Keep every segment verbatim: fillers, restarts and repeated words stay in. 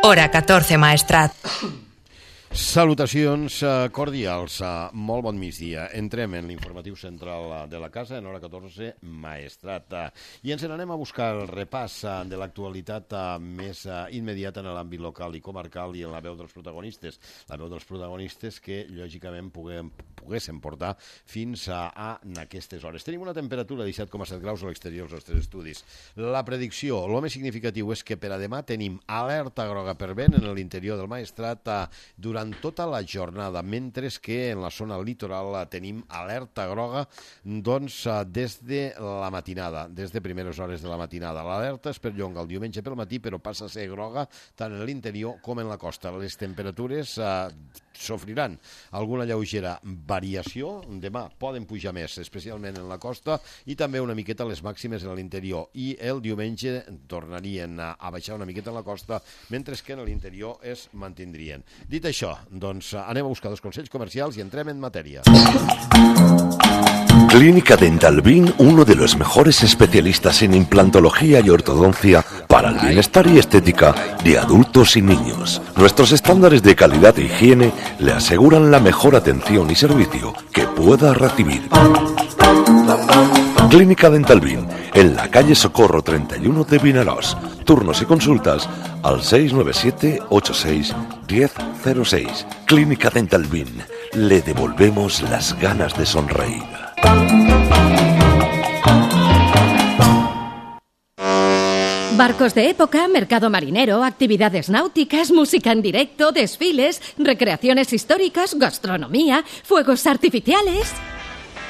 Hora catorze, Maestrat. Salutacions cordials, molt bon migdia. Entrem en l'informatiu central de la casa en hora catorze, Maestrat. I ens n'anem a buscar el repàs de l'actualitat més immediata en l'àmbit local i comarcal i en la veu dels protagonistes. La veu dels protagonistes que, lògicament, puguem, poguéssim portar fins a, a aquestes hores. Tenim una temperatura de disset coma set graus a l'exterior dels nostres estudis. La predicció, el més significatiu és que per a demà tenim alerta groga per vent en l'interior del Maestrat durant tota la jornada, mentre que en la zona litoral tenim alerta groga doncs, des de la matinada, des de primeres hores de la matinada. L'alerta es perllonga el diumenge pel matí, però passa a ser groga tant en l'interior com en la costa. Les temperatures eh, sofriran alguna lleugera variació. Demà poden pujar més, especialment en la costa, i també una miqueta les màximes en l'interior. I el diumenge tornarien a baixar una miqueta en la costa, mentre que en l'interior es mantindrien. Dit això, doncs anem a buscar dos consells comercials i entrem en matèria. Clínica Dental Bin, uno de los mejores especialistas en implantología y ortodoncia para el bienestar y estética de adultos y niños. Nuestros estándares de calidad e higiene le aseguran la mejor atención y servicio que pueda recibir. Clínica Dental Bin, en la calle Socorro treinta y uno de Vinaròs. Turnos y consultas al seis nueve siete ocho seis uno cero cero seis. Clínica Dental Bin, le devolvemos las ganas de sonreír. Barcos de época, mercado marinero, actividades náuticas, música en directo, desfiles, recreaciones históricas, gastronomía, fuegos artificiales.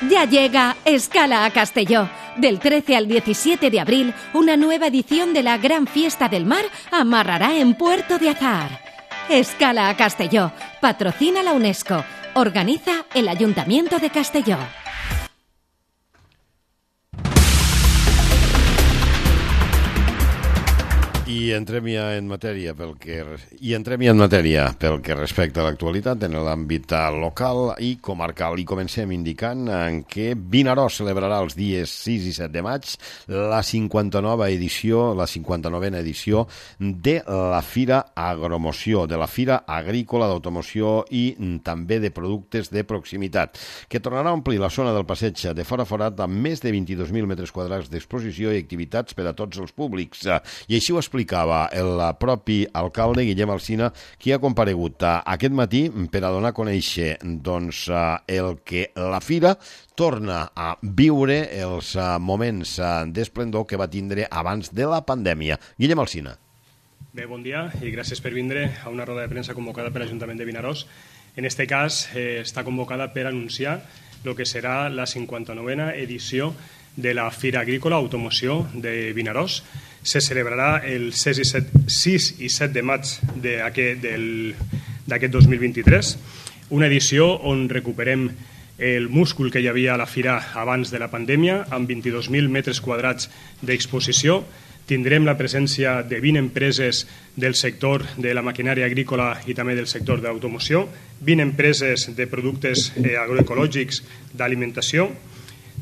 Ya llega Escala a Castelló. Del trece al diecisiete de abril, una nueva edición de la Gran Fiesta del Mar amarrará en Puerto de Azahar. Escala a Castelló. Patrocina la UNESCO. Organiza el Ayuntamiento de Castelló. I entrem ja en matèria pel que i entrem ja en matèria pel que respecta a l'actualitat en l'àmbit local i comarcal. I comencem indicant en què Vinaròs celebrarà els dies sis i set de maig la cinquanta-nova edició, la cinquanta-novena edició de la Fira Agromoció, de la Fira Agrícola d'Automoció i també de productes de proximitat, que tornarà a omplir la zona del passeig de Fora Forat amb més de vint-i-dos mil metres quadrats d'exposició i activitats per a tots els públics. I així ho explica explicava el propi alcalde Guillem Alsina, qui ha comparegut aquest matí per a donar a conèixer doncs, el que la fira torna a viure els moments d'esplendor que va tindre abans de la pandèmia. Guillem Alsina. Bé, bon dia i gràcies per vindre a una roda de premsa convocada per l'Ajuntament de Vinaròs. En este cas eh, està convocada per anunciar el que serà la cinquanta-novena edició de la Fira Agrícola Automoció de Vinaròs. Se celebrarà el sis i set de maig d'aquest dos mil vint-i-tres, una edició on recuperem el múscul que hi havia a la fira abans de la pandèmia, amb vint-i-dos mil metres quadrats d'exposició. Tindrem la presència de vint empreses del sector de la maquinària agrícola i també del sector de l'automoció, vint empreses de productes agroecològics d'alimentació.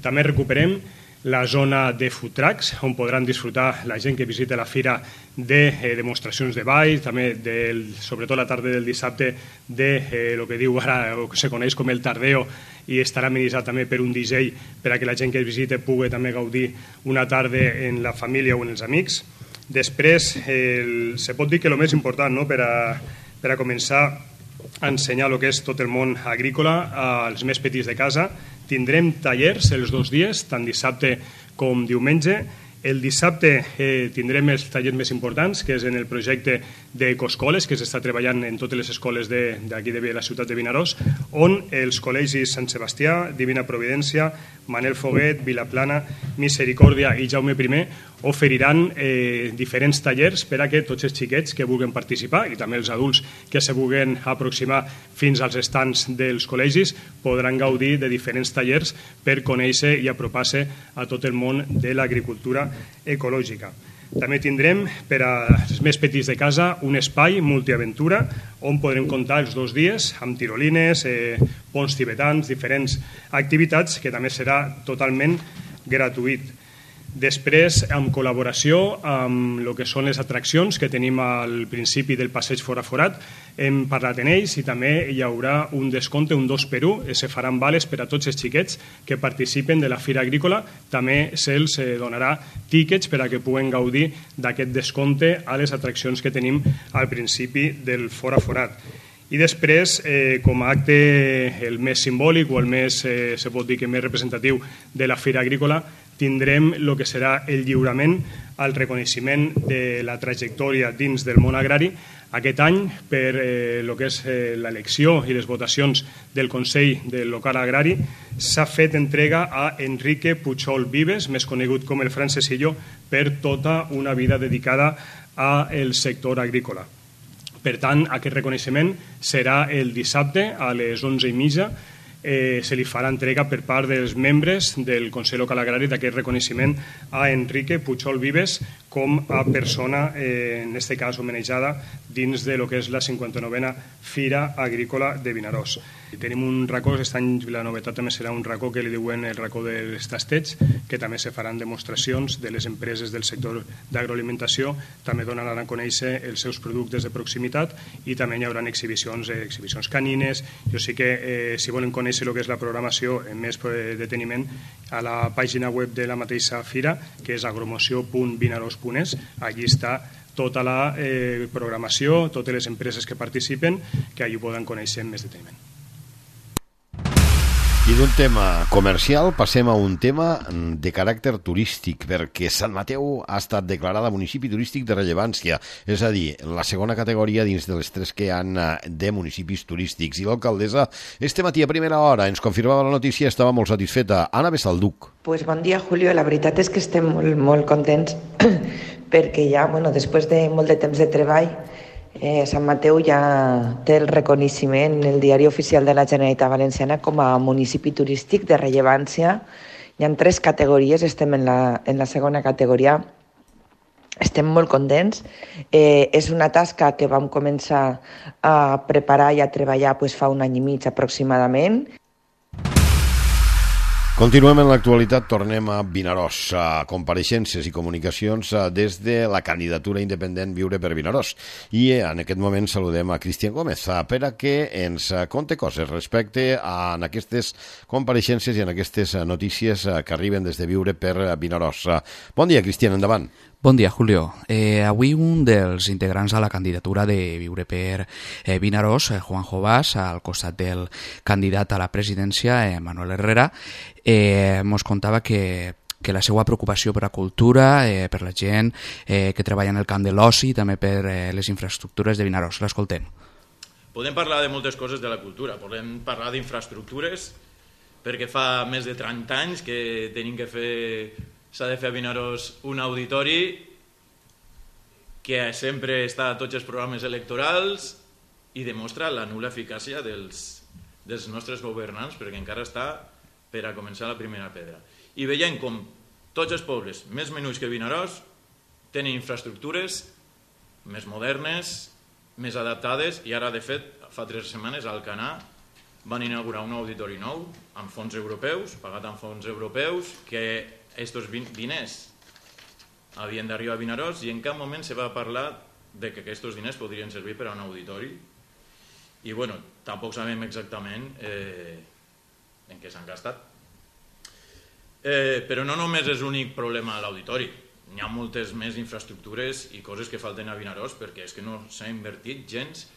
També recuperem la zona de food trucks, on podran disfrutar la gent que visita la fira de eh, demostracions de ball, també del, sobretot la tarda del dissabte de eh, el que diu ara, o que se coneix com el tardeo, i estarà amenitzat també per un D J per a que la gent que visite pugui també gaudir una tarda en la família o en els amics. Després, el, se pot dir que el més important, no?, per, a, per a començar a ensenyar el que és tot el món agrícola als més petits de casa. Tindrem tallers els dos dies, tant dissabte com diumenge. El dissabte eh, tindrem els tallers més importants, que és en el projecte d'ecoscoles, que s'està treballant en totes les escoles d'aquí de, de la ciutat de Vinaròs, on els col·legis Sant Sebastià, Divina Providència, Manel Foguet, Vilaplana, Misericòrdia i Jaume I oferiran eh, diferents tallers per a que tots els xiquets que vulguin participar i també els adults que se vulguin aproximar fins als estants dels col·legis podran gaudir de diferents tallers per conèixer i apropar-se a tot el món de l'agricultura ecològica. També tindrem per als més petits de casa un espai multiaventura on podrem comptar els dos dies amb tirolines, eh, ponts tibetans, diferents activitats que també serà totalment gratuït. Després, en col·laboració amb el que són les atraccions que tenim al principi del passeig Fora Forat, hem parlat en ells i també hi haurà un descompte, un dos per un, se faran vales per a tots els xiquets que participen de la Fira Agrícola. També se'ls donarà tíquets per a que puguen gaudir d'aquest descompte a les atraccions que tenim al principi del Fora Forat. I després, eh, com a acte el més simbòlic o el més, eh, se pot dir que més representatiu de la Fira Agrícola, tindrem el que serà el lliurament al reconeixement de la trajectòria dins del món agrari. Aquest any, per eh, el que és eh, l'elecció i les votacions del Consell del Local Agrari, s'ha fet entrega a Enrique Puchol Vives, més conegut com el Francesillo, per tota una vida dedicada al sector agrícola. Per tant, aquest reconeixement serà el dissabte a les onze i mitja. Eh, se li farà entrega per part dels membres del Consell Local Agrari d'aquest reconeixement a Enrique Puchol Vives com a persona, eh, en aquest cas homenatjada, dins de lo que és la cinquanta-novena Fira Agrícola de Vinaròs. I tenim un racó, aquest any la novetat també serà un racó que li diuen el racó dels tastets, que també se faran demostracions de les empreses del sector d'agroalimentació, també donaran a conèixer els seus productes de proximitat i també hi haurà exhibicions, eh, exhibicions canines. Jo sí que, eh, si volen conèixer el que és la programació en més deteniment, a la pàgina web de la mateixa fira, que és agromoció punt vinaròs punt es, allí està tota la eh, programació, totes les empreses que participen, que allí poden conèixer en més deteniment. I d'un tema comercial passem a un tema de caràcter turístic, perquè Sant Mateu ha estat declarada municipi turístic de rellevància, és a dir, la segona categoria dins de les tres que hi ha de municipis turístics. I l'alcaldessa, este matí a primera hora, ens confirmava la notícia, estava molt satisfeta. Anna Besalduc. Pues bon dia, Julio. La veritat és que estem molt, molt contents perquè ja, bueno, després de molt de temps de treball, Eh, Sant Mateu ja té el reconeixement en el Diari Oficial de la Generalitat Valenciana com a municipi turístic de rellevància. Hi ha tres categories, estem en la, en la segona categoria. Estem molt contents. Eh, és una tasca que vam començar a preparar i a treballar pues, fa un any i mig aproximadament. Continuem en l'actualitat, tornem a Vinaròs, a compareixences i comunicacions des de la candidatura independent Viure per Vinaròs. I en aquest moment saludem a Cristian Gómez per a que ens conte coses respecte a aquestes compareixences i en aquestes notícies que arriben des de Viure per Vinaròs. Bon dia, Cristian, endavant. Bon dia, Julio. Eh, avui un dels integrants a la candidatura de Viure per eh, Vinaròs, eh, Juanjo Bas, al costat del candidat a la presidència, eh, Manuel Herrera, eh, mos contava que que la seva preocupació per la cultura, eh, per la gent eh, que treballa en el camp de l'oci, també per eh, les infraestructures de Vinaròs. L'escoltem. Podem parlar de moltes coses de la cultura, podem parlar d'infraestructures, perquè fa més de trenta anys que tenim que fer... s'ha de fer a Vinaròs un auditori que sempre està a tots els programes electorals i demostra la nul·la eficàcia dels, dels nostres governants, perquè encara està per a començar la primera pedra. I veiem com tots els pobles més menuts que Vinaròs tenen infraestructures més modernes, més adaptades, i ara, de fet, fa tres setmanes a Alcanar van inaugurar un auditori nou amb fons europeus, pagat amb fons europeus, que aquests diners havien d'arribar a Vinaròs i en cap moment se va parlar de que aquests diners podrien servir per a un auditori. I, bueno, tampoc sabem exactament eh, en què s'han gastat. Eh, però no només és l'únic problema a l'auditori. Hi ha moltes més infraestructures i coses que falten a Vinaròs perquè és que no s'ha invertit gens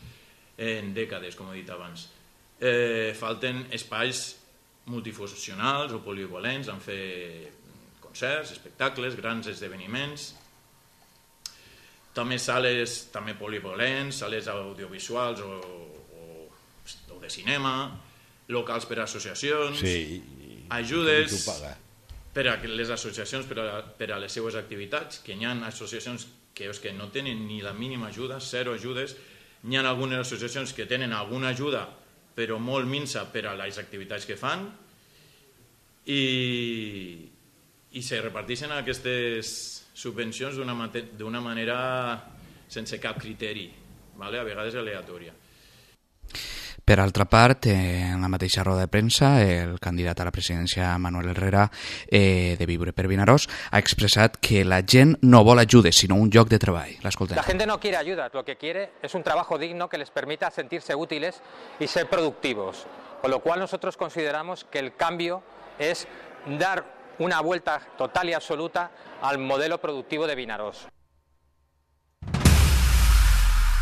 en dècades, com he dit abans. Eh, falten espais multifuncionals o polivalents en fer concerts, espectacles, grans esdeveniments, també sales també polivalents, sales audiovisuals o, o, o de cinema, locals per a associacions, sí, ajudes per a les associacions per a, per a les seues activitats, que hi ha associacions que, que no tenen ni la mínima ajuda, zero ajudes, hi ha algunes associacions que tenen alguna ajuda però molt minsa per a les activitats que fan, i, i se reparteixen aquestes subvencions d'una manera sense cap criteri, ¿vale? A vegades aleatòria. Per altra part, en la mateixa roda de premsa, el candidat a la presidència Manuel Herrera eh, de Viure per Vinaròs ha expressat que la gent no vol ajudes, sinó un lloc de treball. L'escoltem. La gente no quiere ayuda, lo que quiere es un trabajo digno que les permita sentirse útiles y ser productivos. Con lo cual nosotros consideramos que el cambio es dar una vuelta total y absoluta al modelo productivo de Vinaròs.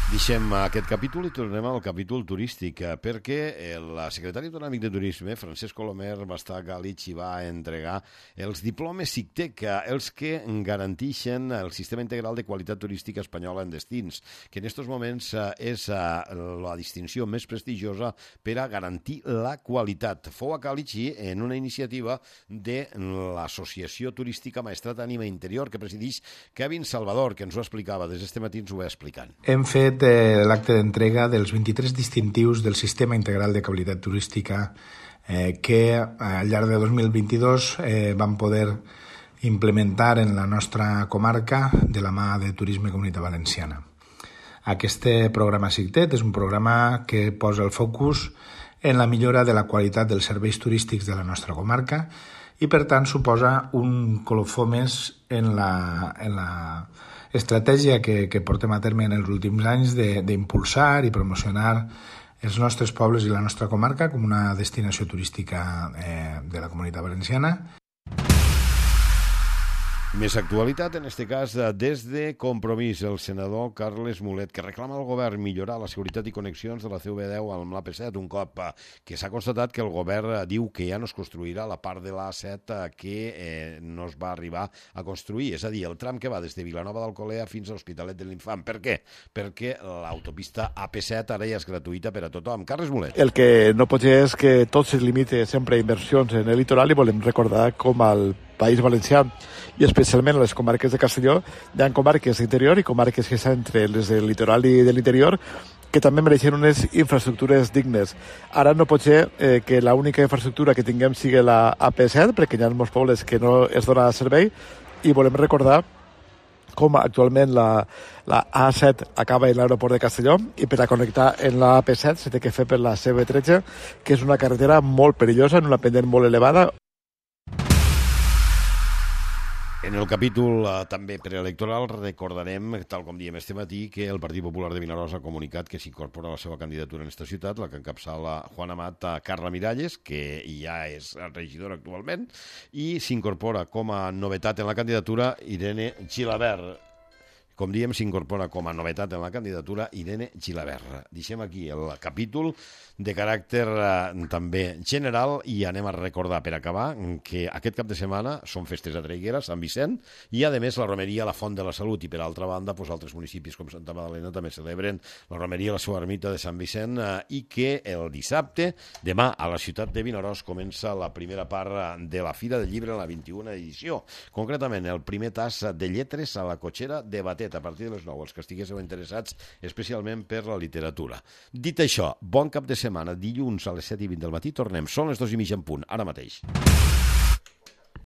Deixem aquest capítol i tornem al capítol turístic, perquè el secretari autonòmic de Turisme, Francesc Colomer, va estar a Galitx i va entregar els diplomes SICTEC, els que garanteixen el sistema integral de qualitat turística espanyola en destins, que en aquests moments és la distinció més prestigiosa per a garantir la qualitat. Fou a Galitx en una iniciativa de l'Associació Turística Maestrat Ànima Interior, que presideix Kevin Salvador, que ens ho explicava, des d'este matí ens ho va explicant. Hem fet l'acte d'entrega dels vint-i-tres distintius del Sistema Integral de Qualitat Turística eh, que al llarg de dos mil vint-i-dos eh, vam poder implementar en la nostra comarca de la mà de Turisme Comunitat Valenciana. Aquest programa SICTET és un programa que posa el focus en la millora de la qualitat dels serveis turístics de la nostra comarca i, per tant, suposa un colofó més en la, en la estratègia que, que portem a terme en els últims anys d'impulsar i promocionar els nostres pobles i la nostra comarca com una destinació turística eh, de la Comunitat Valenciana. Més actualitat, en aquest cas, des de Compromís, el senador Carles Mulet, que reclama al govern millorar la seguretat i connexions de la C V deu amb l'A P set, un cop que s'ha constatat que el govern diu que ja no es construirà la part de l'A set que eh, no es va arribar a construir, és a dir, el tram que va des de Vilanova d'Alcolea fins a l'Hospitalet de l'Infant. Per què? Perquè l'autopista A P set ara ja és gratuïta per a tothom. Carles Mulet. El que no pot ser és que tot se limite sempre a inversions en el litoral i volem recordar com al País Valencià i especialment a les comarques de Castelló hi ha comarques d'interior i comarques que estan entre les del litoral i de l'interior que també mereixen unes infraestructures dignes. Ara no pot ser eh, que l'única infraestructura que tinguem sigui la A P set, perquè hi ha molts pobles que no es dona servei, i volem recordar com actualment la, la A set acaba en l'aeroport de Castelló i per a connectar en la A P set s'ha de fer per la C V tretze, que és una carretera molt perillosa, en una pendent molt elevada. En el capítol eh, també preelectoral recordarem, tal com diem este matí, que el Partit Popular de Vinaròs ha comunicat que s'incorpora la seva candidatura en esta ciutat, la que encapçala Juan Amat a Carla Miralles, que ja és regidora actualment, i s'incorpora com a novetat en la candidatura Irene Gilabert. Com diem, s'incorpora com a novetat en la candidatura Irene Gilabert. Deixem aquí el capítol de caràcter eh, també general i anem a recordar, per acabar, que aquest cap de setmana són festes a Traiguera, Sant Vicent, i a més la romeria La Font de la Salut, i per altra banda pues, altres municipis com Santa Magdalena també celebren la romeria La Seva Ermita de Sant Vicent eh, i que el dissabte, demà a la ciutat de Vinaròs, comença la primera part de la Fira del Llibre en la vint-i-una edició. Concretament, el primer tas de lletres a la cotxera de Batet, a partir de les nou, els que estiguéssiu interessats especialment per la literatura. Dit això, bon cap de setmana, dilluns a les set i vint del matí tornem. Són les dos i mitja en punt, ara mateix.